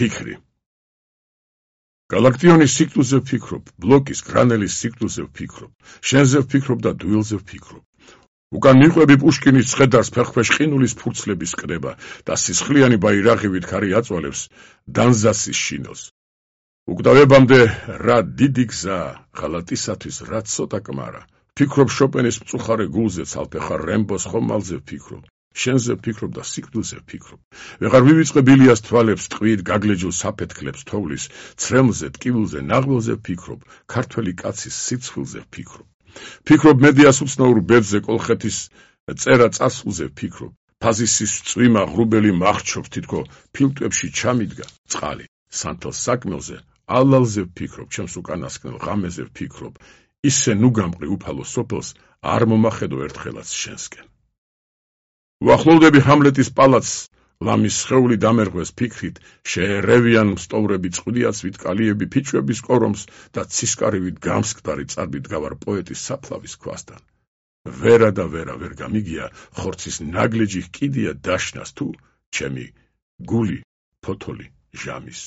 ფიქრი. გალაქტიონის ციკლზე ვფიქრობ, ბლოკის, გრანელის ციკლზე ვფიქრობ, შენზე ვფიქრობ და დუილზე ვფიქრობ. უკან მიყვები პუშკინის ცხედარს ფეხქვეშ ყინულის ფურცლების კრება და სისხლიანი ბაირაღივით ქარი აწვალებს დანზასის შინელს. უკდავებამდე რა დიდი გზა, ღალატისათვის რა ცოტა კმარა. ვფიქრობ შოპენის მწუხარე გულზე, ცალფეხარ რემბოს ხომალზე ვფიქრობ. შენზე ვფიქრობ და სიკვდილზე ვფიქრობ. ვეღარ მივიწყებ ილიას თვალებს, ტყვიით გაგლეჯულ საფეთქლებს თოვლის, ცრემლზე, ტკივილზე, ნაღველზე ვფიქრობ, ქართველი კაცის სიცხვილზე ვფიქრობ. ვფიქრობ მედიას უცნაურ ბედზე, კოლხეთის წერა წასულზე ვფიქრობ. ფაზისის წვიმა ღრუბელი მახრჩობს, თითქო ფილტვებში ჩამიდგა წყალი. სანთელ საკმელზე, ალალზე ვფიქრობ, ჩემს უკანასკნელ ღამეზე ვფიქრობ. ისე ნუ გამყრი უფალო სოფელს, არ მომახედო ერთხელაც შენსკენ. ვახლოვდები ჰამლეტის პალაცს, ლამის სხეული დამერღვეს ფიქრით, შეერევიან მსტოვრები წყვილიაც ვიტკალიები ფიჩვების კორომს და ცისკარივით გამსკდარი წარბით გავარ პოეტის საფლავის ქვასთან. ვერა და ვერა ვერ გამიგია, ხორცის ნაგლეჯი კიდია დაშნას თუ ჩემი გული ფოთოლი ჟამის.